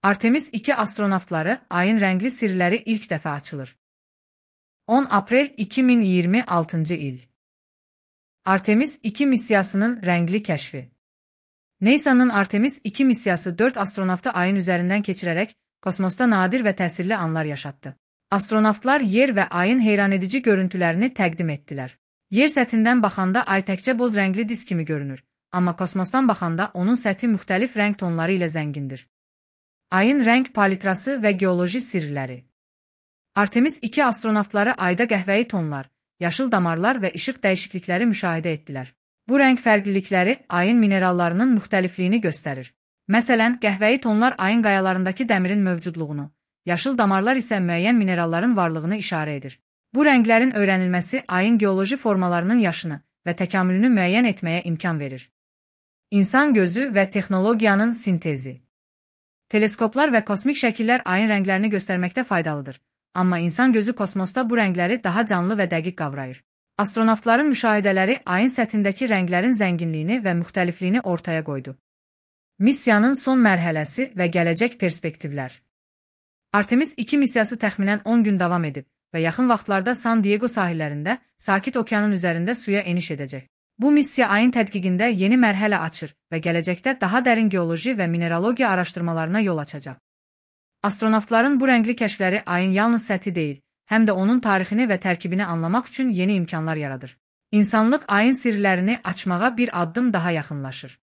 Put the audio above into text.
Artemis 2 astronavtları ayın rəngli sirləri ilk dəfə açılır. 10 aprel 2026 il. Artemis 2 missiyasının rəngli kəşfi. NASA'nın Artemis 2 missiyası 4 astronavtı ayın üzərindən keçirərək kosmosda nadir və təsirli anlar yaşatdı. Astronavtlar yer və ayın heyranedici görüntülərini təqdim etdilər. Yer səthindən baxanda ay təkcə boz rəngli disk kimi görünür, amma kosmosdan baxanda onun səthi müxtəlif rəng tonları ilə zəngindir. Ayın rəng palitrası və geoloji sirləri. Artemis 2 astronavtları ayda qəhvəyi tonlar, yaşıl damarlar və işıq dəyişiklikləri müşahidə etdilər. Bu rəng fərqlilikləri ayın minerallarının müxtəlifliyini göstərir. Məsələn, qəhvəyi tonlar ayın qayalarındakı dəmirin mövcudluğunu, yaşıl damarlar isə müəyyən mineralların varlığını işarə edir. Bu rənglərin öyrənilməsi ayın geoloji formalarının yaşını və təkamülünü müəyyən etməyə imkan verir. İnsan gözü və texnologiyanın sintezi. Teleskoplar və kosmik şəkillər ayın rənglərini göstərməkdə faydalıdır, amma insan gözü kosmosda bu rəngləri daha canlı və dəqiq qavrayır. Astronavtların müşahidələri ayın səthindəki rənglərin zənginliyini və müxtəlifliyini ortaya qoydu. Missiyanın son mərhələsi və gələcək perspektivlər. Artemis 2 missiyası təxminən 10 gün davam edib və yaxın vaxtlarda San Diego sahillərində Sakit Okeanın üzərində suya eniş edəcək. Bu missiya ayın tədqiqində yeni mərhələ açır və gələcəkdə daha dərin geoloji və mineralogiya araşdırmalarına yol açacaq. Astronavtların bu rəngli kəşfləri ayın yalnız səthi deyil, həm də onun tarixini və tərkibini anlamaq üçün yeni imkanlar yaradır. İnsanlıq ayın sirlərini açmağa bir addım daha yaxınlaşır.